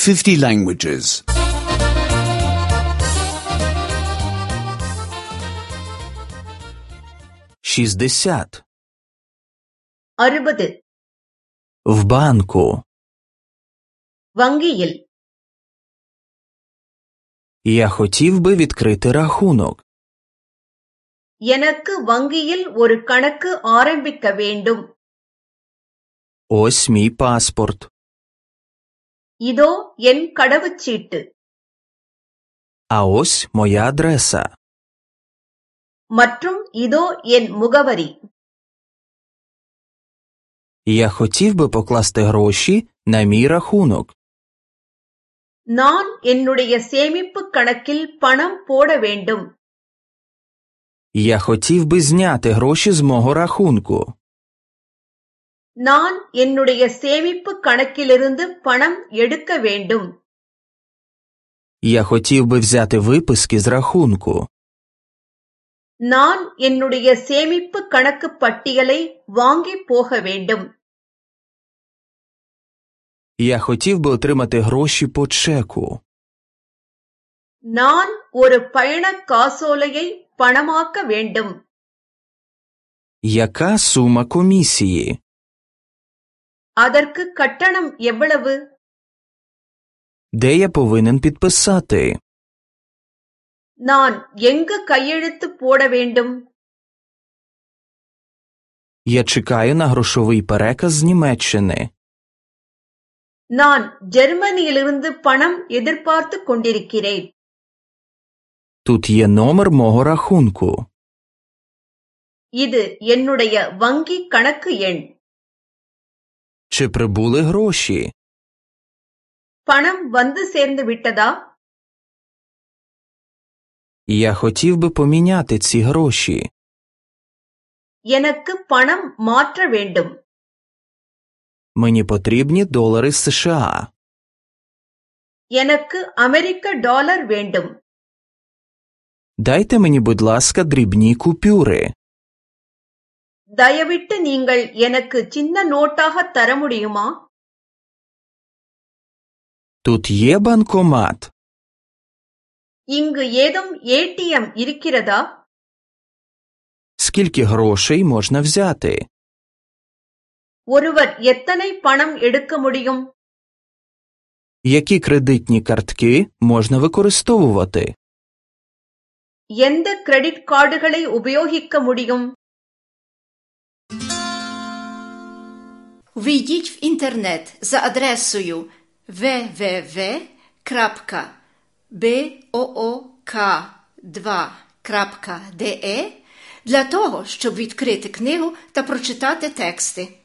50 languages. 60. 60. В банку. வங்கியில். Я хотів би відкрити рахунок. எனக்கு வங்கியில் ஒரு கணக்கு ஆரம்பிக்க வேண்டும். Ось мій паспорт. இதோ என் கடவுச்சீட்டு. А ось моя адреса. மற்றும் இதோ என் முகவரி. Я хотів би покласти гроші на мій рахунок. நான் என்னுடைய சேமிப்பு கணக்கில் பணம் போட வேண்டும். Я хотів би зняти гроші з мого рахунку. நான் என்னுடைய சேமிப்பு கணக்கிலிருந்து பணம் எடுக்க வேண்டும். Я хотів би взяти виписки з рахунку. நான் என்னுடைய சேமிப்பு கணக்கு பட்டியலை வாங்கி போக வேண்டும். Я хотів би отримати гроші по чеку. நான் ஒரு பயண காசோலையை பணமாக்க வேண்டும். Яка сума комісії? அதற்கு கட்டணம் எவ்வளவு? Де я повинен підписати? நான் எங்கு கையெழுத்து போட வேண்டும்? Я чекаю на грошовий переказ з Німеччини. நான் ஜெர்மனியிலிருந்து பணம் எதிர்பார்த்து கொண்டிருக்கிறேன். Тут є номер мого рахунку. இது என்னுடைய வங்கி கணக்கு எண். Чи прибули гроші? பணம் வந்து சேர்ந்து விட்டதா? Я хотів би поміняти ці гроші. எனக்கு பணம் மாற்ற வேண்டும். Мені потрібні долари США. எனக்கு அமெரிக்க டாலர் வேண்டும். Дайте мені, будь ласка, дрібні купюри. தயவிட்டு நீங்கள் எனக்கு சின்ன நோட்டாக தர முடியுமா? Тут є банкомат. இங்கு ஏதும் ஏடிஎம் இருக்கிறதா? Скільки грошей можна взяти? ஒருவர் எத்தனை பணம் எடுக்க முடியும்? Які кредитні картки можна використовувати? எந்த கிரெடிட் கார்டுகளை உபயோகிக்க முடியும்? Ввійдіть в інтернет за адресою www.book2.de для того, щоб відкрити книгу та прочитати тексти.